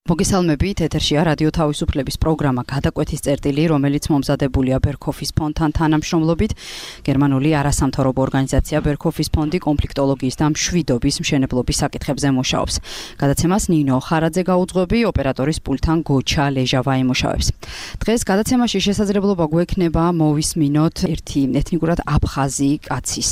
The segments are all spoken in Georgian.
მოგესალმებით, ეთერშია რადიო თავისუფლების პროგრამა გადაკვეთის წერტილი, რომელიც მომზადებულია ბერქოფის ფონდთან თანამშრომლობით. გერმანული არასამთავრობო ორგანიზაცია ბერქოფის ფონდი კონფლიქტოლოგიის და მშვიდობის მშენებლობის საკითხებზე მუშაობს. გადაცემას ნინო ხარაძე გაუძღვები, ოპერატორის პულტთან გოჩა ლეჟავა იმუშავებს. დღეს გადაცემაში შესაძლებლობა გვექნება მოვისმინოთ ერთი ეთნიკურად აფხაზი კაცის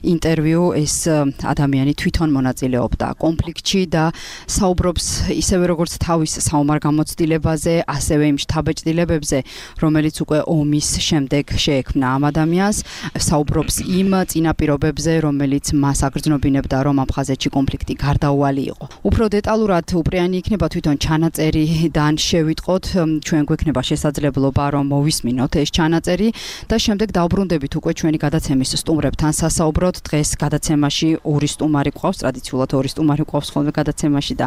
ინტერვიუ. ეს ადამიანი თვითონ მონაწილეობდა კონფლიქტში და საუბრობს ისევე როგორც თავის საომარ გამოცდილებაზე, ასევე იმ შთაბეჭდილებებზე, რომელიც უკვე ომის შემდეგ შეექმნა ამ ადამიანს, საუბრობს იმ წინაპირობებზე, რომელიც მას აგრძნობინებდა, რომ აფხაზეთში კონფლიქტი გარდაუვალი იყო. უფრო დეტალურად უპრიანი იქნება თვითონ ჩანაწერიდან შევიტყოთ, ჩვენ გვექნება შესაძლებლობა, რომ მოვისმინოთ ეს ჩანაწერი და შემდეგ დავბრუნდებით უკვე ჩვენი გადაცემის სტუმრებთან სასაუბროთ. დღეს გადაცემაში ორი სტუმარი გვყავს, ტრადიციულად ორი სტუმარი გვყავს ხოლმე გადაცემაში და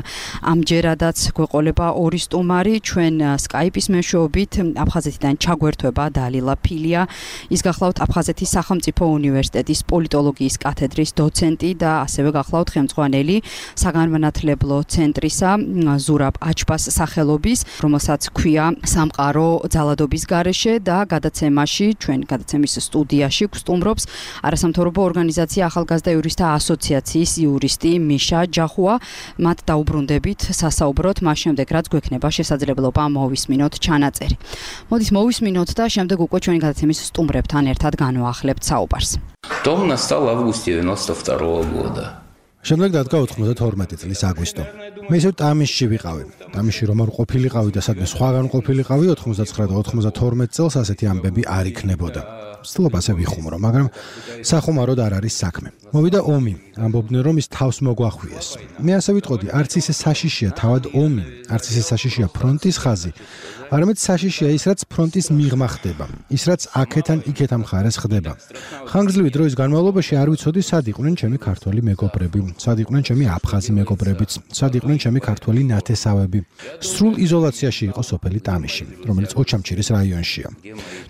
ამჯერადაც გვეყოლება ორი სტუმარი. ჩვენ Skype-ის მეშვეობით აფხაზეთიდან ჩაგვერთვება დალილა ფილია. ის გახლავთ აფხაზეთის სახელმწიფო უნივერსიტეტის პოლიტოლოგიის კათედრის დოცენტი და ასევე გახლავთ ხელმძღვანელი საგანმანათლებლო ცენტრისა ზურაბ აჩბას სახელობის, რომელსაც ქვია სამყარო ძალადობის გარეშე და გადაცემაში, ჩვენ გადაცემის სტუდიაში გვსტუმრობს არასამთავრობო ორგანიზაცია ახალგაზრდა იურისტთა ასოციაციის იურისტი მიშა ჯახუა. მათ დაუბრუნდებით სასაუბროთ, მას შემდეგ რაც გვექნება შესაძლებლობა მოვისმინოთ ჩანაწერი. მოდით მოვისმინოთ და შემდეგ უკვე ჩვენი გადაცემის სტუმრებთან ერთად განვაახლებთ საუბარს. Дом настал в августе 92 года. შემდეგ დადგა 92 წლის აგვისტო. მე ისევ ტამისში ვიყავი. ტამისში რომ არ ყოფილიყავი და სადმე სხვაგან ყოფილიყავი 99 და 92 წელს ასეთი ამბები არ იქნებოდა. ვცდილობ ასე ვიხუმრო, მაგრამ სახუმაროდ არ არის საქმე. მოვიდა ომი, ამბობდნენ რომ ის თავს მოგვახვიეს. მე ასე ვიტყოდი, არც ისე საშიშია თავად ომი, არც ისე საშიშია ფრონტის ხაზი, არამედ საშიშია ის, რაც ფრონტის მიღმა ხდება, ის, რაც აქეთან იქეთან მხარეს ხდება. ხანგრძლივი დროის განმავლობაში არ ვიცოდი, სად იყვნენ ჩემი ქართველი მეგობრები, სად იყვნენ ჩემი აფხაზი მეგობრებიც, სად იყვნენ ჩემი ქართველი ნათესავები. სრულ იზოლაციაში იყო სოფელი ტამიში, რომელიც ოჩამჩირის რაიონშია.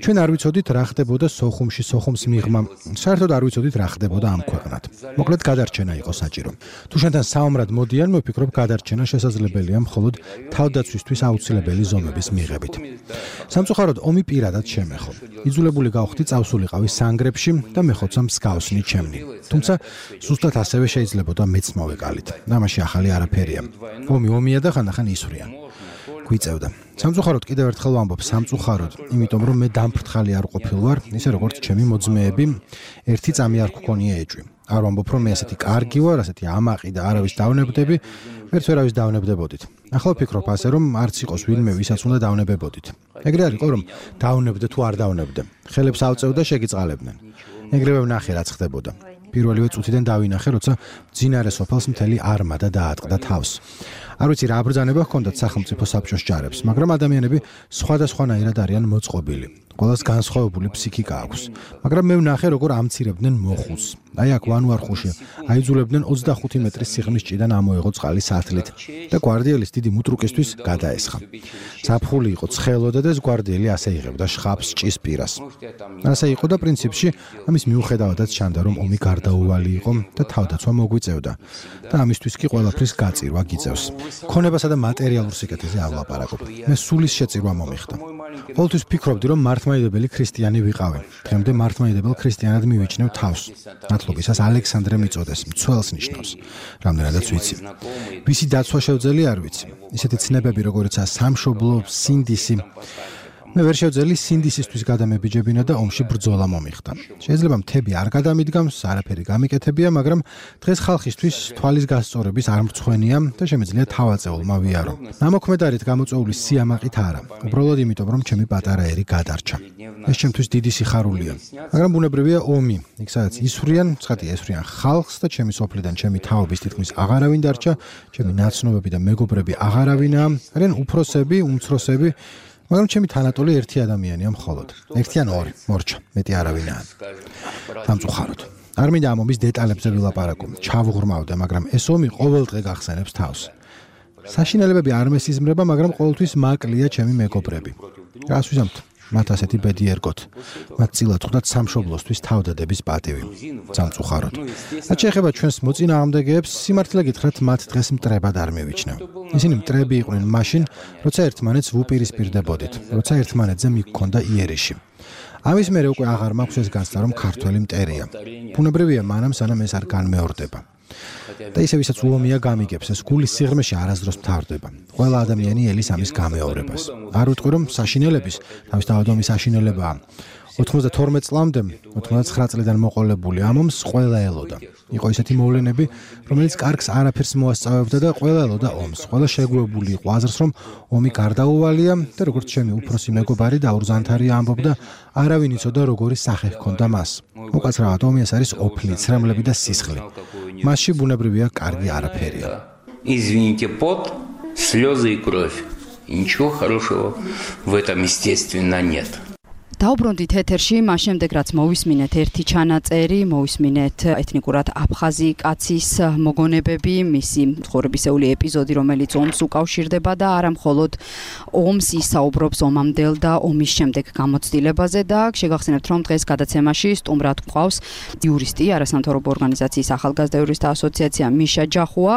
ჩვენ არ ვიცოდით რა ხდებოდა სოხუმში, სოხუმს მიღმა, საერთოდ არ ვიცოდით რა ხდებოდა ამ ქვეყნად. მოკლედ გადარჩენა იყო საჭირო. თუ შენთან საომრად მოდიან, მოვფიქრობ გადარჩენა შესაძლებელია მხოლოდ თავდაცვისთვის აუცილებელი ზომების მიღებით. სამწუხაროდ ომი პირადად შემეხო. იძულებული გავხდი წავსულიყავი სანგრებში და მეხოცა მსგავსნი ჩემნი. თუმცა ზუსტად ასევე შეიძლებოდა მეც მოვეკალით. ამაში ახალი არაფერია. ომია და ხანდახან ისვრიან. გვიწევდა. სამწუხაროდ კიდევ ერთხელ ვამბობ, სამწუხაროდ, იმიტომ რომ მე დამფრთხალი არ ყოფილ ვარ, ისე როგორც ჩემი მოძმეები, ერთი წამი არ გქონია ეჭვი. არ ვამბობ, რომ მე ასეთი კარგი ვარ, ასეთი ამაყი და არავის დავნებდები, ვერც ვერავის დავნებდებოდით. ახლა ვფიქრობ ასე, რომ არც იყოს ვინმე, ვისაც უნდა დავნებებოდით. ეგრე არ იყო, რომ დავნებდე თუ არ დავნებდე. ხელებს ავწევ და შეგიწყალებდნენ. ეგრევე ვნახე, რაც ხდებოდა. პირველივე წუთიდან დავინახე, როცა მძინარე სოფელს მთელი არმადა დაატყდა თავს. არ ვიცი რა აბრძანება ჰქონდათ სახელმწიფო საბჭოს ჯარებს, მაგრამ ადამიანები სხვადასხვანაირად არიან მოწყობილი. ყველას განსხვავებული ფსიქიკა აქვს. მაგრამ მე ვნახე, როგორ ამცირებდნენ მოხუს. აი აქ ვანვარხუში აიძულებდნენ 25 მეტრის სიღრმის ჭიდან ამოეღო წყალი სათლით და გვარდიელის დიდი მუტრუკისთვის გადაესხა. ზაფხული იყო, ცხელოდა და ეს გვარდიელი ასე იღებდა შხაპს ჭის პირას. ასე იყო და პრინციპში ამის მიუხედავადაც ჩანდა, რომ ომი გარდაუვალი იყო და თავდაცვა მოგვიწევდა და ამისთვის კი ყველაფრის გაწირვა გიწევს. ქონებასა და მატერიალურ სიკეთეზე არ ვლაპარაკობ. მე სულის შეწირვა მომიხდა. ყოველთვის ფიქრობდი, რომ მართლმადიდებელი ქრისტიანი ვიყავი. დღემდე მართლმადიდებელ ქრისტიანად მივიჩნევ თავს. მადლობისას ალექსანდრე მიწოდეს, მცველს ნიშნავს. რამდენადაც ვიცი. ვისი დაცვა შევძელი არ ვიცი. ისეთი ცნებები, როგორიცაა სამშობლო, სინდისი. მე ვერ შევძელი სინდისისთვის გადამებიჯებინა და ომში ბრძოლა მომიხდა. შეიძლება მთები არ გადამიდგამს, არაფერი გამიკეთებია, მაგრამ დღეს ხალხისთვის თვალის გასწორების არ მრცხვენია და შემიძლია თავაწეულმა ვიარო. ნამოქმედარით გამოწვეული სიამაყით არა, უბრალოდ იმიტომ, რომ ჩემი პატარა ერი გადარჩა. ეს ჩემთვის დიდი სიხარულია. მაგრამ ბუნებრივია ომი, იქ სადაც ისვრიან, ცხადია ესვრიან ხალხს და ჩემი სოფლიდან ჩემი თაობის თითქმის აღარავინ დარჩა, ჩემი ნაცნობები და მეგობრები აღარავინაა, არიან უფროსები, უმცროსები, მაგრამ ჩემი თანატოლი ერთი ადამიანია მხოლოდ. ერთი ან ორი, მორჩა, მეტი არავინაა. სამწუხაროდ. არ მინდა ამ ომის დეტალებზე ვილაპარაკო, ჩავუღრმავდე, მაგრამ ეს ომი ყოველდღე გახსენებს თავს. საშინელებები არ მესიზმრება, მაგრამ ყოველთვის მაკლია ჩემი მეგობრები. რას ვიზამთ? მათ ასეთი ბედი ერგოთ. მათ წილად ხვდათ სამშობლოსთვის თავდადების პატივი. სამწუხაროდ. რაც შეეხება ჩვენს მოწინააღმდეგეებს, სიმართლე გითხრათ, მათ დღეს მტრებად არ მივიჩნევ. ისინი მტრები იყვნენ მაშინ, როცა ერთმანეთს ვუპირისპირდებოდით, როცა ერთმანეთზე მიგქონდა იერიში. ამის მერე უკვე აღარ მაქვს ეს განცდა, რომ ქართველი მტერია. ბუნებრივია მანამ, სანამ ეს არ განმეორდება. და ისევ ვისაც უომია გამიგებს, ეს გულის სიღრმეში არასდროს მთავრდება. ყველა ადამიანი ელის ამის გამეორებას. არ ვიტყვი, რომ საშინელების, თავისთავად ომის საშინელებაა. 92 წლამდე, 99 წლიდან მოყოლებული ამ ომს ყველა ელოდა. იყო ისეთი მოვლენები, რომელიც კარგს არაფერს მოასწავებდა და ყველა ელოდა ომს. ყველა შეგუებული იყო აზრს, რომ ომი გარდაუვალია და როგორც ჩემი უფროსი მეგობარი დაურ ზანთარია ამბობდა, არავინ იცოდა როგორი სახე ჰქონდა მას. უკაცრავად ომი ეს არის ოფლი, ცრემლები და სისხლი. მასში ბუნებრივია კარგი არაფერია. Извините, пот, слезы и кровь. Ничего хорошего в этом, естественно, нет. დაუბრუნდით ეთერში, მას შემდეგ რაც მოვისმინეთ ერთი ჩანაწერი, მოვისმინეთ ეთნიკურად აფხაზი კაცის მოგონებები, მისი ცხოვრებისეული ეპიზოდი, რომელიც ომს უკავშირდება და არა მხოლოდ ომს ისაუბრობს ომამდელ და ომის შემდეგ გამოცდილებაზე და შეგახსენებთ, რომ დღეს გადაცემაში სტუმრად გვყავს იურისტი, არასამთავრობო ორგანიზაციის ახალგაზრდა იურისტთა ასოციაცია მიშა ჯახუა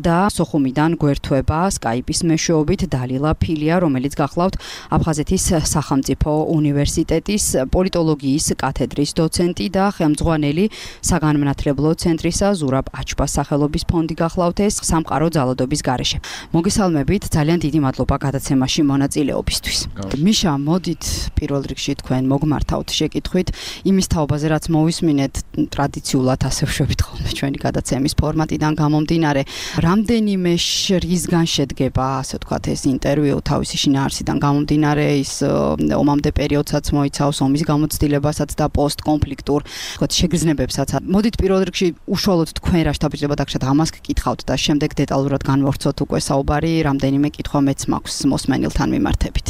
და სოხუმიდან გვერდება სკაიპის მეშვეობით დალილა ფილია, რომელიც გახლავთ აფხაზეთის სახელმწიფო უნივერსიტეტის პოლიტოლოგიის კათედრის დოცენტი და ხელმძღვანელი საგანმანათლებლო ცენტრისა ზურაბ აჩბას სახელობის ფონდი გახლავთ ეს სამყარო ძალადობის გარეშე. მოგესალმებით, ძალიან დიდი მადლობა გადაცემაში მონაწილეობისთვის. მიშა, მოდით პირველ რიგში თქვენ მოგმართავთ შეკითხვით იმის თაობაზე, რაც მოვისმინეთ ტრადიციულად ასე ვშვებით ხოლმე ჩვენი გადაცემის ფორმატიდან გამომდინარე. რამდენიმე შრისგან შედგება, ასე ვთქვათ, ეს ინტერვიუ თავისი შინაარსიდან გამომდინარე, ის ომამდე პერიოდსაც მოიცავს ომის გამოცდილებასაც და პოსტკონფლიქტურ შეგრძნებებსაც. მოდით პირველ რიგში უშუალოდ თქვენ რა შთაბეჭდილება დაგჭირთ ამას გკითხავთ და შემდეგ დეტალურად განვავრცოთ უკვე საუბარი, რამდენიმე კითხვა მეც მაქვს მოსმენილთან მიმართებით.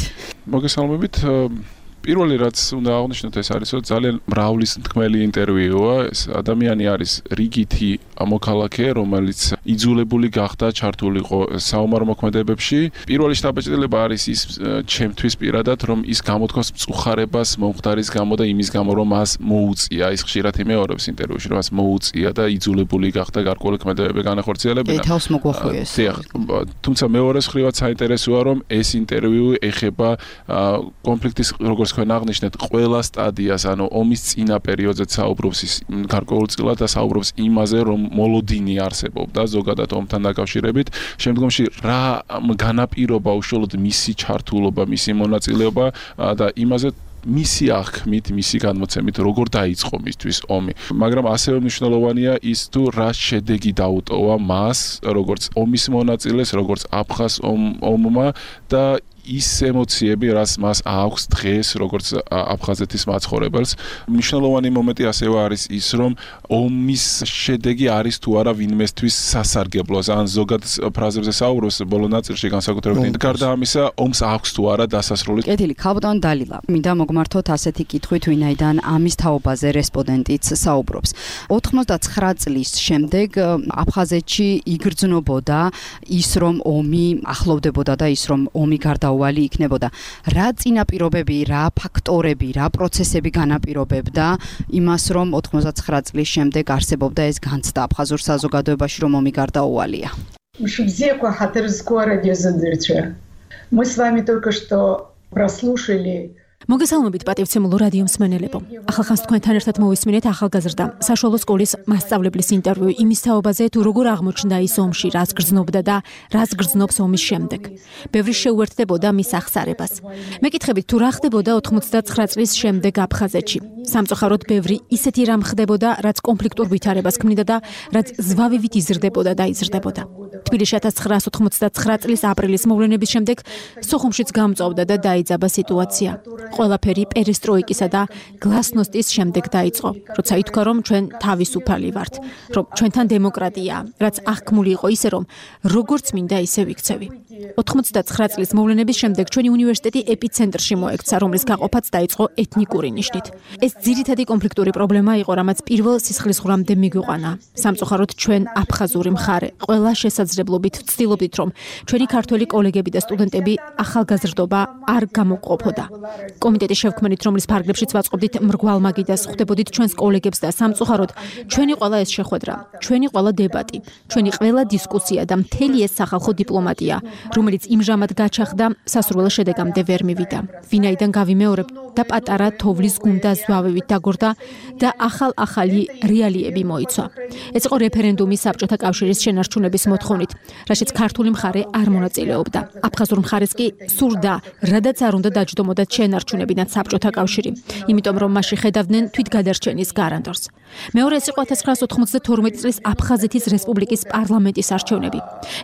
მოგესალმებით. პირველი რაც უნდა აღნიშნოთ ეს არის, რომ ძალიან მრავლისმთქმელი ინტერვიუა. ეს ადამიანი არის რიგითი მოქალაქე, რომელიც იძულებული გახდა ჩართულიყო საომარ მოქმედებებში. პირველი შთაბეჭდილება არის ის ჩემთვის პირადად, რომ ის გამოთქვას მწუხარებას მომხდარის გამო და იმის გამო, რომ მას მოუწია, ის ხშირად იმეორებს ინტერვიუში, რომ მას მოუწია და იძულებული გახდა გარკვეული ქმედებები განახორციელებინა. თავს მოგვახვიეს. თუმცა მეორე მხრივაც საინტერესოა, რომ ეს ინტერვიუ ეხება კონფლიქტის როგორც თქვენ აღნიშნეთ ყველა სტადიას, ანუ ომის წინა პერიოდზე საუბრობს ის გარკვეულწილად და საუბრობს იმაზე, რომ მოლოდინი არსებობდა ზოგადად ომთან დაკავშირებით. შემდგომში რა განაპირობა უშუალოდ მისი ჩართულობა, მისი მონაწილეობა და იმაზე მისი აღქმით, მისი განმოცემით, როგორ დაიწყო მისთვის ომი. მაგრამ ასევე მნიშვნელოვანია ის თუ რა შედეგი დაუტოვა მას, როგორც ომის მონაწილეს, როგორც აფხაზ ომმა და ის ემოციები, რაც მას აქვს დღეს, როგორც აფხაზეთის მაცხოვრებელს. მნიშვნელოვანი მომენტი ასევე არის ის, რომ ომის შედეგი არის თუ არა ვინმესთვის სასარგებლოს, ან ზოგად ფრაზებზე საუბრობს ბოლო ნაწილში განსაკუთრებით. გარდა ამისა, ომს აქვს თუ არა დასასრული. კეთილი, ქალბატონ დალილა, მინდა მოგმართოთ ასეთი კითხვით, ვინაიდან ამის თაობაზე რესპონდენტიც საუბრობს. 99 წლის შემდეგ აფხაზეთში იგრძნობოდა ის, რომ ომი ახლოვდებოდა და ის, რომ ომი გარდაუვალი იქნებოდა. რა წინაპირობები, რა ფაქტორები, რა პროცესები განაპირობებდა იმას, რომ 99 წლის შემდეგ არსებობდა ეს განცდა აფხაზურ საზოგადოებაში, რომ ომი გარდაუვალია? Мы с вами только что прослушали მოგესალმებით პატივცემულო რადიო მსმენელებო. ახალხანს თქვენთან ერთად მოვისმინეთ ახალგაზრდა საშუალო სკოლის მასწავლებლის ინტერვიუ იმის თაობაზე, თუ როგორ აღმოჩნდა ის ომში, რაც გრძნობდა და რაც გრძნობს ომის შემდეგ. ბევრი შეუერთდებოდა მის აღსარებას. მეკითხებით, თუ რა ხდებოდა 99 წლის შემდეგ აფხაზეთში. სამწუხაროდ ბევრი ისეთი რამ ხდებოდა, რაც კონფლიქტურ ვითარებას ქმნიდა და რაც ზვავივით იზრდებოდა და იზრდებოდა. თბილისში 1999 წლის აპრილის მოვლენების შემდეგ სოხუმშიც გამწვავდა და დაიძაბა სიტუაცია. ყველაფერი პერესტროიკისა და გლასნოსტის შემდეგ დაიწყო, როცა ითქვა, რომ ჩვენ თავისუფალი ვართ, რომ ჩვენთან დემოკრატია, რაც აღქმული იყო ისე, რომ როგორც მინდა ისე ვიქცევი. 99 წლის მოვლენების შემდეგ ჩვენი უნივერსიტეტი ეპიცენტრში მოექცა, რომლის გაყოფაც დაიწყო ეთნიკური ნიშნით. ეს ძირითადი კონფლიქტური პრობლემა იყო, რამაც პირველ სისხლისღვრამდე მიგვიყვანა. სამწუხაროდ ჩვენ აფხაზური მხარე ყველა შესაძლებლობით ვცდილობდით, რომ ჩვენი ქართველი კოლეგები და სტუდენტები ახალგაზრდობა არ გამოყოფოდა. კომიტეტის შევქმნით, რომლის ფარგლებშიც ვაწყობდით მრგვალ მაგიდას, ხვდებოდით ჩვენს კოლეგებს და სამწუხაროდ ჩვენი ყველა ეს შეხვედრა, ჩვენი ყველა დებატი, ჩვენი ყველა დისკუსია და მთელი ეს სახალხო დიპლომატია, რომელიც იმჟამად გაჩაღდა, სასურველო შედეგამდე ვერ მივიდა. ვინაიდან გავიმეორებ და პატარა თოვლის გუნდა ზვავებით დაგორდა და ახალი რეალიები მოიცვა. ეს იყო რეფერენდუმი საბჭოთა კავშირის შენარჩუნების მოთხოვნით, რაშიც ქართული მხარე არ მონაწილეობდა. აფხაზურ მხარეს კი სურდა, რადაც არ უნდა დაჯდომოდათ შენარჩუნებიდან საბჭოთა კავშირი, იმიტომ რომ მასში ხედავდნენ თვითგადარჩენის გარანტორს. მეორე ეს იყო 1992 წლის აფხაზეთის რესპუბლიკის პარლამენტის არჩევნები.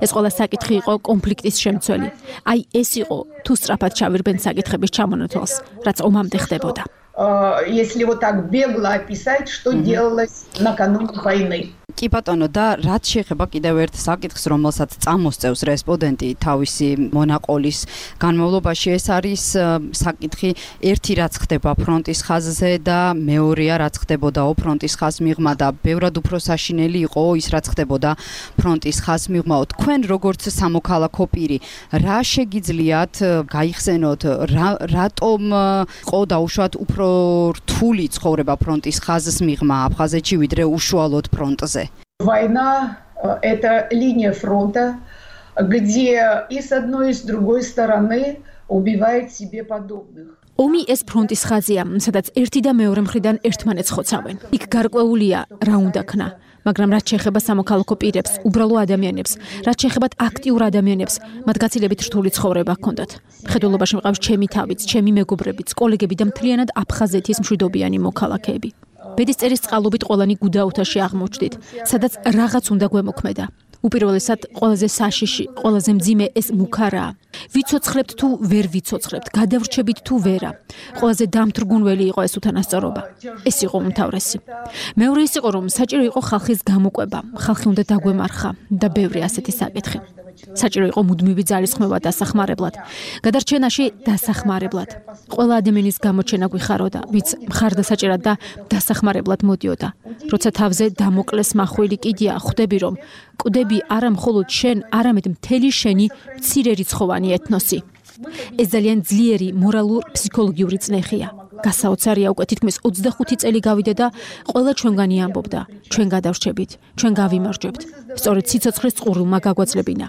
ეს ყველა საკითხი იყო კონფლიქტის შემცველი. აი ეს იყო თუ სწრაფად ჩავირბენ საკითხების ჩამონათვალს, რაც ომამდე ხდებოდა. Если вот так бегло описать, что делалось накануне войны. კი ბატონო და რაც შეეხება კიდევ ერთ საკითხს, რომელსაც წამოსწევს რესპონდენტი თავისი მონაყოლის განმავლობაში, ეს არის საკითხი ერთი რაც ხდება ფრონტის ხაზზე და მეორეა რაც ხდებოდა ფრონტის ხაზს მიღმა და ბევრად უფრო საშინელი იყო ის რაც ხდებოდა ფრონტის ხაზს მიღმაო. თქვენ როგორც სამოქალაქო პირი, რა შეგიძლიათ გაიხსენოთ, რატომ იყო დაუშვათ უფრო რთული ცხოვრება ფრონტის ხაზს მიღმა აფხაზეთში ვიდრე უშუალოდ ფრონტზე? Война – это линия фронта, где и с одной, и с другой стороны убивает себе подобных. ომი ეს ფრონტის ხაზია, სადაც ერთი და მეორე მხრიდან ერთმანეთს ხოცავენ. იქ გარკვეულია რა უნდა ქნა. მაგრამ რაც შეეხება სამოქალაქო პირებს, უბრალო ადამიანებს, რაც შეეხება აქტიურ ადამიანებს, მათ გაცილებით რთული ცხოვრება ჰქონდათ. მხედველობაში მყავს ჩემი თავიც, ჩემი მეგობრებიც, კოლეგები და მთლიანად აფხაზეთის მშვიდობიანი მოქალაქეები. ბედისწერის წყალობით ყველანი გუდაუთაში აღმოჩნდით, სადაც რაღაც უნდა გვემოქმედა. უპირველესად, ყველაზე საშიში, ყველაზე მძიმე ეს მუქარაა. ვიცოცხლებთ თუ ვერ ვიცოცხლებთ, გადავრჩებით თუ ვერა. ყველაზე დამთრგუნველი იყო ეს უთანასწორობა. ეს იყო უმთავრესი. მეორე ის იყო, რომ საჭირო იყო ხალხის გამოკვება, ხალხი უნდა დაგვემარხა და ბევრი ასეთი საკითხი. საჭირო იყო მუდმივი ძალისხმევა დასახმარებლად, გადარჩენაში დასახმარებლად. ყველა ადამიანის გამოჩენა გვიხაროდა, ვინც მხარდასაჭერად და დასახმარებლად მოდიოდა. როცა თავზე დამოკლეს მახვილი კიდია, ხვდები რომ კვდები არა მხოლოდ შენ, არამედ მთელი შენი მცირე რიცხოვანი ეთნოსი. ეს ძალიან ძლიერი მორალურ-ფსიქოლოგიური წნეხია. გასაოცარია უკვე თითქმის 25 წელი გავიდა და ყველა ჩვენგანი ამბობდა, ჩვენ გადავრჩებით, ჩვენ გავიმარჯვებთ. სწორედ სიცოცხლის წყურულმა გაგვაძლებინა.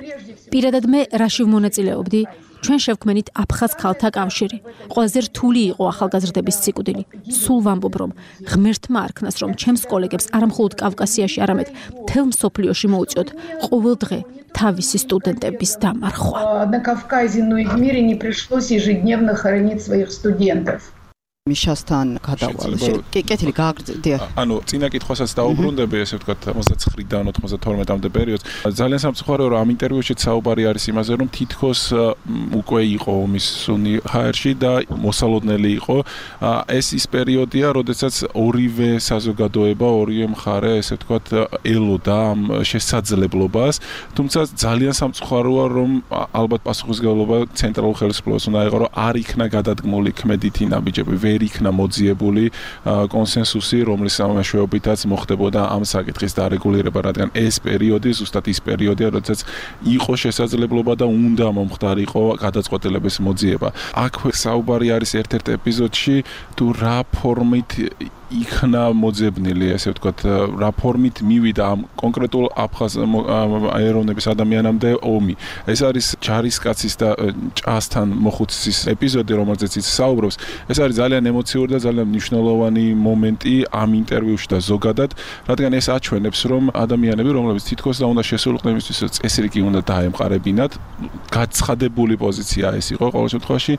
პირადად მე რაში ვმონაწილეობდი? ჩვენ შევქმნით აფხაზ ქალთა კავშირი. ყველაზე რთული იყო ახალგაზრდების სიკვდილი. სულ ვამბობ, რომ ღმერთმა არქმნას, რომ ჩემს კოლეგებს არა მხოლოდ კავკასიაში, არამედ მთელ მსოფლიოში მოუწიოთ ყოველ დღე თავისი სტუდენტების დამარხვა. На Кавказе, но и в мире не пришлось ежедневно хоронить своих студентов. მიშასთან გადავალ. კეთილი გააგრძელე. ანუ წინა კითხვასაც დაუბრუნდები, ესე ვთქვათ 99-დან 92-მდე პერიოდს. ძალიან სამწუხაროა, რომ ამ ინტერვიუშიც საუბარი არის იმაზე, რომ თითქოს უკვე იყო ომის სუნი ჰაერში და მოსალოდნელი იყო. ეს ის პერიოდია, როდესაც ორივე საზოგადოება, ორივე მხარე, ესე ვთქვათ, ელოდა ამ შესაძლებლობას. თუმცა ძალიან სამწუხაროა, რომ ალბათ პასუხისმგებლობა ცენტრალურ ხელისუფლებას უნდა იყო, რომ არ იქნა გადადგმული ქმედითი ნაბიჯები. ვერ იქნა მოძიებული კონსენსუსი, რომლის მეშვეობითაც მოხდებოდა ამ საკითხის დარეგულირება, რადგან ეს პერიოდი ზუსტად ის პერიოდია, როდესაც იყო შესაძლებლობა და უნდა მომხდარიყო გადაწყვეტილების მოძიება. აქვე საუბარი არის ერთ-ერთ ეპიზოდში, თუ რა ფორმით იქნა მოძებნილი, ესე ვთქვათ, რა ფორმით მივიდა ამ კონკრეტულ აფხაზ ეროვნების ადამიანამდე ომი. ეს არის ჯარისკაცის და ჭასთან მოხუცის ეპიზოდი, რომელზეც ის საუბრობს. ეს არის ძალიან ემოციური და ძალიან მნიშვნელოვანი მომენტი ამ ინტერვიუში და ზოგადად, რადგან ეს აჩვენებს, რომ ადამიანები, რომლებიც თითქოს და უნდა შესულიყდნენ იმისთვის, რომ წესრიგი უნდა დაემყარებინათ, გაცხადებული პოზიცია ეს იყო ყოველ შემთხვევაში,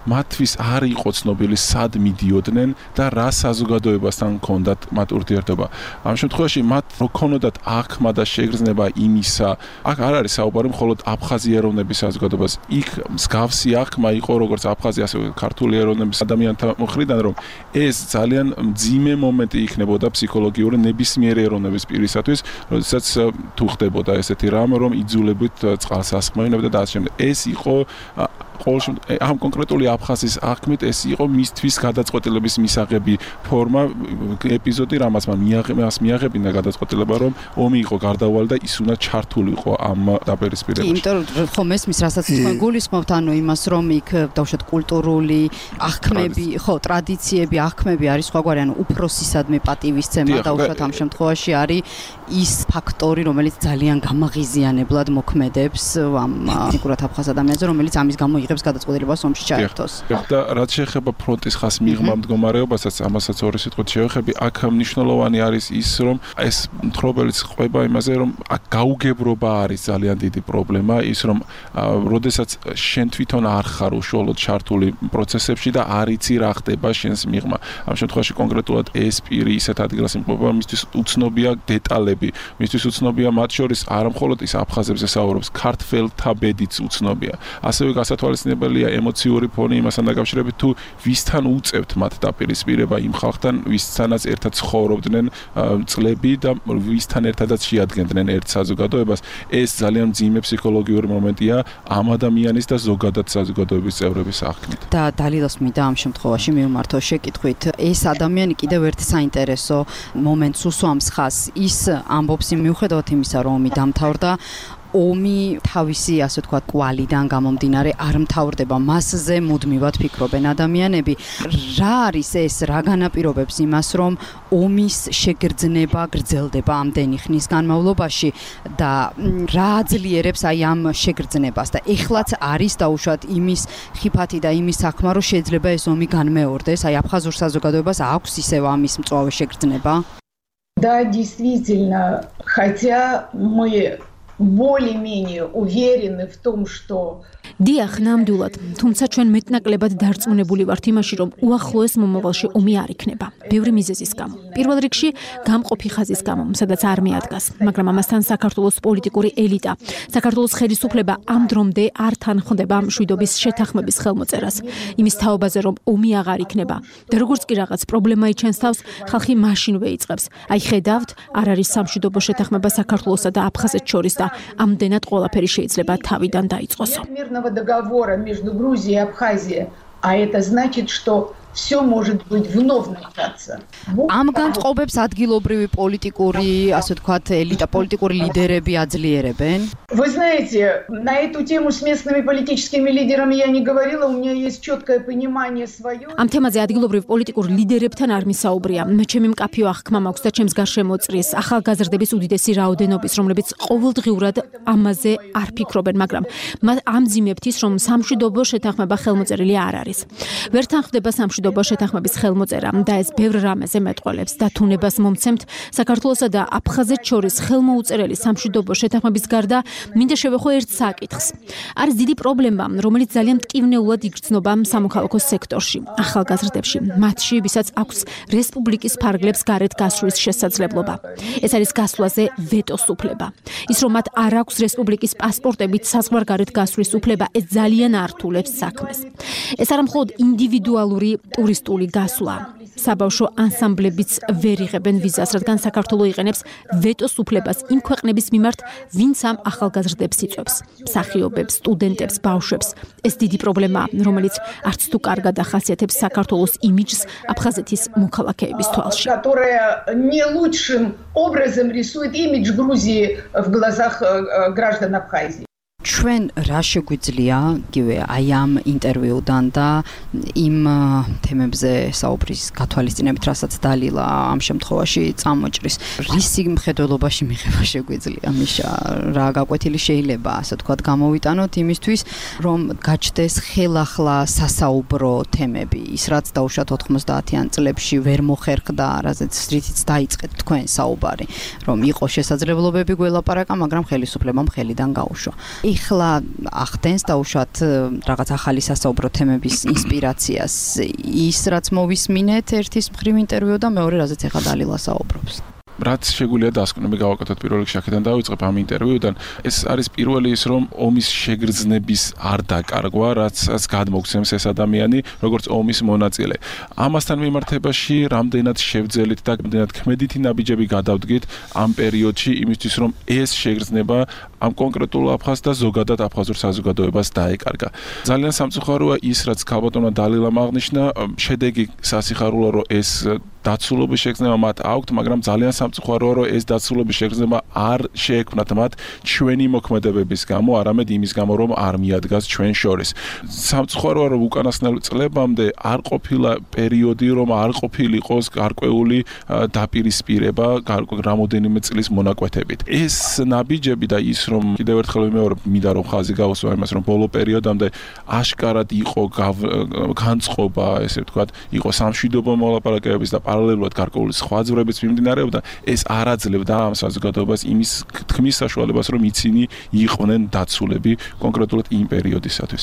მათთვის არ იყო ცნობილი სად მიდიოდნენ და რა საზოგადოება ხელისუფლებასთან ჰქონდათ მათ ურთიერთობა. ამ შემთხვევაში მათ რო ქონოდათ აღქმა და შეგრძნება იმისა, აქ არ არის საუბარი მხოლოდ აფხაზი ეროვნების საზოგადოებას. იქ მსგავსი აღქმა იყო როგორც აფხაზი, ასევე ქართული ეროვნების ადამიანთა მხრიდან, რომ ეს ძალიან მძიმე მომენტი იქნებოდა ფსიქოლოგიური ნებისმიერი ეროვნების პირისათვის, როდესაც თუ ხდებოდა ესეთი რამ, რომ იძულებით წყალს ასხმევინებდა და ასე შემდეგ. ეს იყო ამ კონკრეტული აფხაზის აღქმით ეს იყო მისთვის გადაწყვეტილების მისაღები ფორმა ეპიზოდი, რამაც მას მიაღებინა გადაწყვეტილება, რომ ომი იყო გარდაუვალი და ის უნდა ჩართულიყო ამ დაპირისპირებაში. იმიტომ რომ ხომ ესმის, რასაც თქვენ გულისხმობთ, ანუ იმას, რომ იქ დავუშვათ კულტურული აღქმები, ხო, ტრადიციები, აღქმები არის სხვაგვარი, ანუ უფროსისადმი პატივისცემა დავუშვათ ამ შემთხვევაში არის ის ფაქტორი, რომელიც ძალიან გამაღიზიანებლად მოქმედებს ამ ფიგურად აფხაზ ადამიანზე, რომელიც ამის გამო იღებს გადაწყვეტილებას ომში ჩაერთოს. და რაც შეეხება ფრონტის ხას მიღმა მდგომარეობასაც, ამასაც ორი სიტყვით შევეხები, აქ მნიშვნელოვანი არის ის, რომ ეს მთხრობელიც ყვება იმაზე, რომ აქ გაუგებრობა არის ძალიან დიდი პრობლემა, ის რომ როდესაც შენ თვითონ არ ხარ უშუალოდ ჩართული პროცესებში და არ იცი რა ხდება შენს მიღმა. ამ შემთხვევაში კონკრეტულად ეს პირი ისეთ ადგილას იმყოფება, მისთვის უცნობია დეტალები, მისთვის უცნობია მათ შორის არა მხოლოდ ის აფხაზებზე საუბრობს, ქართველთა ბედიც უცნობია. ასევე გასათვალისწინებელია ემოციური ფონი იმასთან დაკავშირებით, თუ ვისთან უწევთ მათ დაპირისპირება იმ ხალხთან, ვისთანაც ერთად ცხოვრობდნენ წლები და ვისთან ერთადაც შეადგენდნენ ერთ საზოგადოებას. ეს ძალიან მძიმე ფსიქოლოგიური მომენტია ამ ადამიანის და ზოგადად საზოგადოების წევრების აღქმით. და დალილოს მინდა ამ შემთხვევაში მივმართო შეკითხვით, ეს ადამიანი კიდევ ერთ საინტერესო მომენტს უსვამს ხაზს, ის ამბობს მიუხედავად იმისა, რომ ომი დამთავრდა, ომი თავისი, ასე ვთქვათ, კვალიდან გამომდინარე არ მთავრდება, მასზე მუდმივად ფიქრობენ ადამიანები. რა არის ეს, რა განაპირობებს იმას, რომ ომის შეგრძნება გრძელდება ამდენი ხნის განმავლობაში და რა აძლიერებს აი ამ შეგრძნებას და ეხლაც არის დაუშვათ იმის ხიფათი და იმის საქმე, რომ შეიძლება ეს ომი განმეორდეს, აი აფხაზურ საზოგადოებას აქვს ისევ ამის მწვავე შეგრძნება? Да, действительно, хотя мы более-менее уверены в том, что დიახ, ნამდვილად, თუმცა ჩვენ მეტნაკლებად დარწმუნებული ვართ იმაში, რომ უახლოეს მომავალში ომი არ იქნება. ბევრი მიზეზის გამო. პირველ რიგში გამყოფი ხაზის გამო, სადაც არ მიადგას, მაგრამ ამასთან საქართველოს პოლიტიკური ელიტა, საქართველოს ხელისუფლება ამ დრომდე არ თანხმდება მშვიდობის შეთანხმების ხელმოწერას, იმის თაობაზე, რომ ომი აღარ იქნება. და როგორც კი რაღაც პრობლემა იჩენს თავს, ხალხი მაშინვე იწყებს. აი ხედავთ, არ არის სამშვიდობო შეთანხმება საქართველოსა და აფხაზეთს შორის და ამდენად ყველაფერი შეიძლება თავიდან დაიწყოსო. договора между Грузией и Абхазией, а это значит, что все может быть вновь начаться. Ამ განწყობებს ადგილობრივი პოლიტიკური, ასე ვთქვათ, ელიტა, პოლიტიკური ლიდერები აძლიერებენ. Вы знаете, на эту тему с местными политическими лидерами я не говорила, у меня есть четкое понимание свое. Ამ თემაზე ადგილობრივ პოლიტიკურ ლიდერებთან არ მისაუბრია. მე ჩემი მკაფიო აღქმა მაქვს და ჩემს გარშემო წრის ახალგაზრდების უდიდესი რაოდენობის, რომლებიც ყოველდღიურად ამაზე არ ფიქრობენ, მაგრამ მათ ამძიმებთ ის, რომ სამშვიდობო შეთანხმება ხელმოწერილი არ არის. ვერ თანხმდება სამშვიდობო შეთანხმების ხელმოწერა და ეს ბევრ რამეზე მეტყველებს და თუნებას მომცემთ საქართველოსა და აფხაზეთს შორის ხელმოუწერელი სამშვიდობო შეთანხმების გარდა მინდა შევეხო ერთ საკითხს. არის დიდი პრობლემა, რომელიც ძალიან მტკივნეულად იგრძნობა სამოქალაქო სექტორში, ახალგაზრდებში, მათში, ვისაც აქვს რესპუბლიკის ფარგლებს გარეთ გასვლის შესაძლებლობა. ეს არის გასვლაზე ვეტოს უფლება. ის რომ მათ არ აქვს რესპუბლიკის პასპორტებით საზღვარგარეთ გასვლის უფლება, ეს ძალიან ართულებს საქმეს. ეს არა მხოლოდ ინდივიდუალური ტურისტული გასვლა. საბავშვო ანსამბლებიც ვერ იღებენ ვიზას, რადგან საქართველოს იყენებს ვეტოს უფლებას იმ ქვეყნების მიმართ, ვინც ამ ახალგაზრდებს იწვევს, მსახიობებს, სტუდენტებს, ბავშვებს. ეს დიდი პრობლემაა, რომელიც არც თუ კარგად ახასიათებს საქართველოს იმიჯს აფხაზეთის მოქალაქეების თვალში. Которая не лучшим образом рисует имидж Грузии в глазах граждан Абхазии. ჩვენ რა შეგვიძლია იგივე აი ამ ინტერვიუდან და იმ თემებზე საუბრის გათვალისწინებით, რასაც დალილა ამ შემთხვევაში წამოჭრის, რისი მხედველობაში მიღება შეგვიძლია, მიშა, რა გაკვეთილი შეიძლება, ასე ვთქვათ, გამოვიტანოთ იმისთვის, რომ გაჩნდეს ხელახლა სასაუბრო თემები, ის რაც დაუშვათ 90-იან წლებში ვერ მოხერხდა, რაზეც რითიც დაიწყეთ თქვენ საუბარი, რომ იყო შესაძლებლობები გველაპარაკა, მაგრამ ხელისუფლებამ ხელიდან გაუშვა. ეხლა ახდენს დაუშვათ რაღაც ახალი სასაუბრო თემების ინსპირაციას ის რაც მოვისმინეთ ერთის მხრივ ინტერვიუ და მეორე რაზეც ეხლა დალილა საუბრობს. რაც შეგვიძლია დასკვნები გავაკეთოთ პირველ რიგში აქედან დავიწყებ ამ ინტერვიუდან ეს არის პირველი ის რომ ომის შეგრძნების არ დაკარგვა რაც გადმოგცემს ეს ადამიანი როგორც ომის მონაწილე ამასთან მიმართებაში რამდენად შევძელით და რამდენად ქმედითი ნაბიჯები გადავდგით ამ პერიოდში იმისთვის რომ ეს შეგრძნება ამ კონკრეტულ აფხაზს და ზოგადად აფხაზურ საზოგადოებას დაეკარგა ძალიან სამწუხაროა ის რაც ქალბატონმა დალილამ აღნიშნა შედეგი სასიხარულოა რომ ეს დაცულობის შეგრძნება მათ აქვთ, მაგრამ ძალიან სამწუხაროა, რომ ეს დაცულობის შეგრძნება არ შეექმნათ მათ ჩვენი მოქმედებების გამო, არამედ იმის გამო, რომ არ მიადგას ჩვენ შორის. სამწუხაროა, რომ უკანასკნელ წლებამდე არ ყოფილა პერიოდი, რომ არ ყოფილიყოს გარკვეული დაპირისპირება რამოდენიმე წლის მონაკვეთებით. ეს ნაბიჯები და ის, რომ კიდევ ერთხელ ვიმეორებ, მინდა რომ ხაზი გავუსვა იმას, რომ ბოლო პერიოდამდე აშკარად იყო განწყობა, ესე ვთქვათ, იყო სამშვიდობო მოლაპარაკებების და პარალელურად გარკვეული სხვა ძვრებიც მიმდინარეობდა, ეს არ აძლევდა ამ საზოგადოებას იმის თქმის საშუალებას, რომ იცინი იყვნენ დაცულები კონკრეტულად იმ პერიოდისათვის.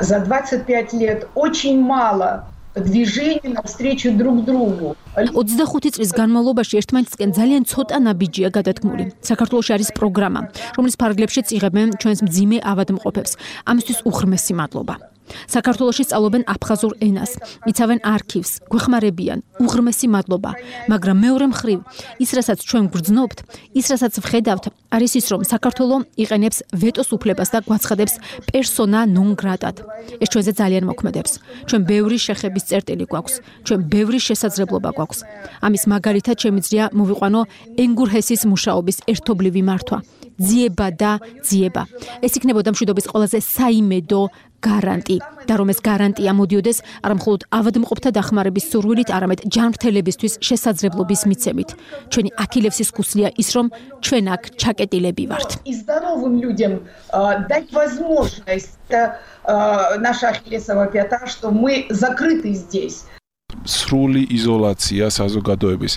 За 25 лет очень мало движений навстречу друг другу. 25 წლის განმავლობაში ერთმანეთისკენ ძალიან ცოტა ნაბიჯია გადადგმული. საქართველოში არის პროგრამა, რომლის ფარგლებშიც იღებენ ჩვენს მძიმე ავადმყოფებს. ამისთვის უღრმესი მადლობა. საქართველოში სწავლობენ აფხაზურ ენას, იცავენ არქივს, გვეხმარებიან, უღრმესი მადლობა, მაგრამ მეორე მხრივ, ის რასაც ჩვენ გვგრძნობთ, ის რასაც ვხედავთ, არის ის, რომ საქართველო იყენებს ვეტოს უფლებას და გვაცხადებს პერსონა ნონ გრატად. ეს ჩვენზე ძალიან მოქმედებს. ჩვენ ბევრი შეხების წერტილი გვაქვს, ჩვენ ბევრი შესაძლებლობა გვაქვს. ამის მაგალითად შემიძლია მოვიყვანო ენგურჰესის მუშაობის ერთობლივი მართვა. ძიება და ძიება. ეს იქნებოდა მშვიდობის ყველაზე საიმედო გარანტი და რომ ეს გარანტია მოდიოდეს არა მხოლოდ ავადმყოფთა დახმარების სურვილით, არამედ ჯანმრთელებისთვის შესაძლებლობის მიცემით. ჩვენი აქილევსის ქუსლია ის, რომ ჩვენ აქ ჩაკეტილები ვართ. И здоровым людям дать возможность наша ахиллесова пята, что мы закрыты здесь. სრული იზოლაცია საზოგადოების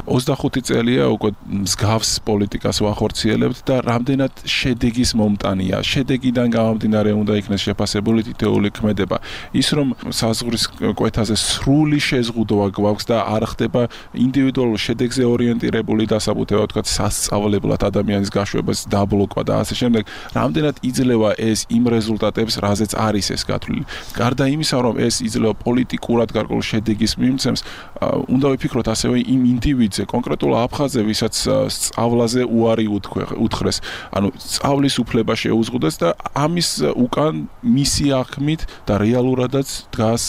25 წელია უკვე მსგავს პოლიტიკას ვახორციელებთ და რამდენად შედეგის მომტანია. შედეგიდან გამომდინარე უნდა იქნეს შეფასებული თითოეული ქმედება. ის რომ საზღვრის კვეთაზე სრული შეზღუდვა გვაქვს და არ ხდება ინდივიდუალურ შედეგზე ორიენტირებული დასაბუთება, თქვათ სასწავლებლად ადამიანის გაშვებას დაბლოკვა და ასე შემდეგ, რამდენად იძლევა ეს იმ რეზულტატებს, რაზეც არის ეს გათვლილი. გარდა იმისა, რომ ეს იძლევა პოლიტიკურად გარკვეულ შედეგის მიმცემს, უნდა ვიფიქროთ ასევე იმ ინდივიდზე, კონკრეტულ აფხაზზე, ვისაც სწავლაზე უარი უთხრეს. ანუ სწავლის უფლება შეუზღუდეს და ამის უკან მისი აღქმით და რეალურადაც დგას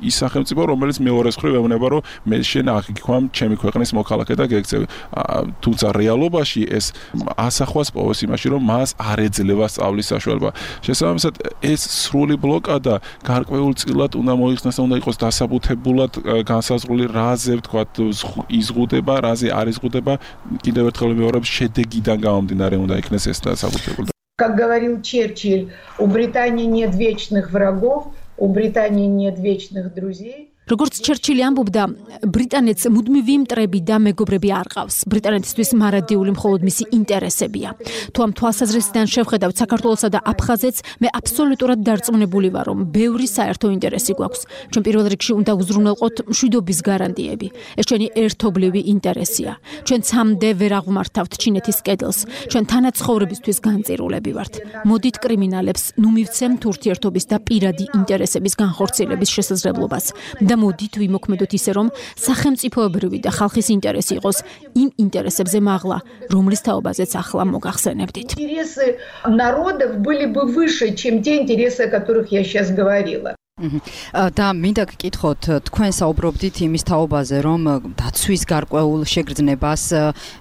ის სახელმწიფო, რომელიც მეორეს მხრივ ეუბნება, რომ მე შენ აღიქვამ ჩემი ქვეყნის მოქალაქე და გეკცევი. თუმცა რეალობაში ეს ასახვას პოვოს იმაში, რომ მას არ ეძლევა სწავლის საშუალება. შესაბამისად, ეს სრული ბლოკადა გარკვეულწილად უნდა მოიხსნას და უნდა იყოს დასაბუთებულად განსაზღვრული რაზე ვთქვათ იზღუდება, რაზე არ იზღუდება, კიდევ ერთხელ ვიმეორებ, შედეგიდან გამომდინარე უნდა იქნეს ეს დასაბუთებული. Как говорил Черчилль, у Британии нет вечных врагов, у Британии нет вечных друзей. როგორც ჩერჩილი ამბობდა, ბრიტანეთს მუდმივი მტრები და მეგობრები არ ყავს. ბრიტანეთისთვის მარადიული მხოლოდ მისი ინტერესებია. თუ ამ თვალსაზრისიდან შევხედავთ საქართველოსა და აფხაზეთს, მე აბსოლუტურად დარწმუნებული ვარ, რომ ბევრი საერთო ინტერესი გვაქვს. ჩვენ პირველ რიგში უნდა უზრუნველყოთ მშვიდობის გარანტიები. ეს ჩვენი ერთობლივი ინტერესია. ჩვენ ცამდე ვერ აღმართავთ ჩინეთის კედელს. ჩვენ თანაცხოვრებისთვის განწირულები ვართ. მოდით კრიმინალებს ნუ მივცემთ ურთიერთობის და პირადი ინტერესების განხორციელების შესაძლებლობას. და მოდით ვიმოქმედოთ ისე, რომ სახელმწიფოებრივი და ხალხის ინტერესი იყოს იმ ინტერესებზე მაღლა, რომლის თაობაზეც ახლა მოგახსენებდით. Интересы народов были бы выше, чем те интересы, о которых я сейчас говорила. და მინდა გკითხოთ, თქვენ საუბრობდით იმის თაობაზე, რომ დაცვის გარკვეულ შეგრძნებას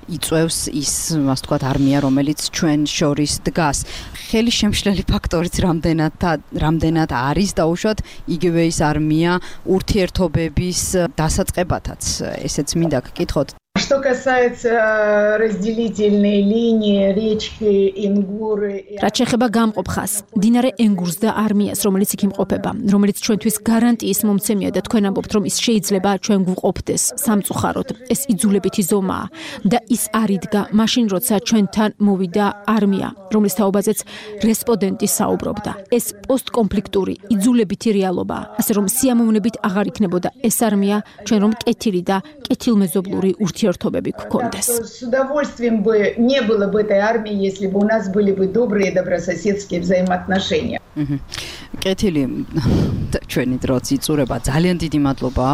იწვევს ის, ასე ვთქვათ, არმია, რომელიც ჩვენ შორის დგას. ხელი შემშლელი ფაქტორიც რამდენად არის დაუშვათ იგივე ის არმია ურთიერთობების დასაწყებათაც. ესეც მინდა გკითხოთ. Что касается разделительной линии речки Ингуры... რაც შეეხება გამყოფ ხაზს, მდინარე ენგურს და არმიას, რომელიც იქ იმყოფება, რომელიც ჩვენთვის გარანტიის მომცემია და თქვენ ამბობთ, რომ ის შეიძლება ჩვენ გვყოფდეს სამწუხაროდ. ეს იძულებითი ზომაა და ის არ იდგა მაშინ, როცა ჩვენთან მოვიდა არმია, რომლის თაობაზეც რესპონდენტი საუბრობდა. ეს პოსტკონფლიქტური იძულებითი რეალობაა, ასე რომ სიამოვნებით აღარ იქნებოდა ეს არმია, ჩვენ რომ კეთილი და კეთილმეზობლური ურთიერთობები გქონდეს. С удовольствием бы не было бы этой армии, если бы у нас были бы добрые добрососедские взаимоотношения. კეთილი ჩვენი დროც იწურება. ძალიან დიდი მადლობა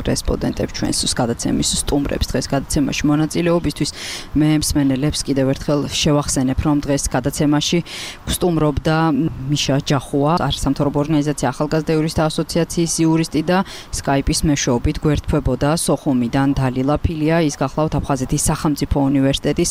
რესპონდენტებს ჩვენს გადაცემის სტუმრებს დღეს გადაცემაში მონაწილეობისთვის. მე მსმენელებს კიდევ ერთხელ შევახსენებ, რომ დღეს გადაცემაში სტუმრობდა მიშა ჯახუა, არასამთავრობო ორგანიზაცია ახალგაზრდა იურისტთა ასოციაციის იურისტი და სკაიპის მეშვეობით გვერდთვებოდა სოხუმიდან დალილა ფილია, ის გახლავთ აფხაზეთის სახელმწიფო უნივერსიტეტის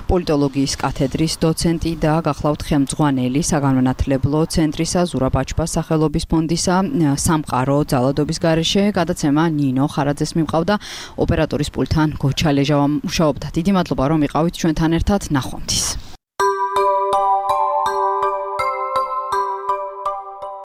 პოლიტოლოგიის კათედრის დოცენტი და გახლავთ ხელმძღვანელი საგანმანათლებლო ცენტრისა ზურაბ ბაჩბას სახელობის ფონდისა სამყარო ძალადობის გარეშე. გადაცემა ნინო ხარაძეს მიმყავდა, ოპერატორის პულტთან გოჩალეჟავა მუშაობდა. დიდი მადლობა რომ იყავით ჩვენთან ერთად. ნახვამდის.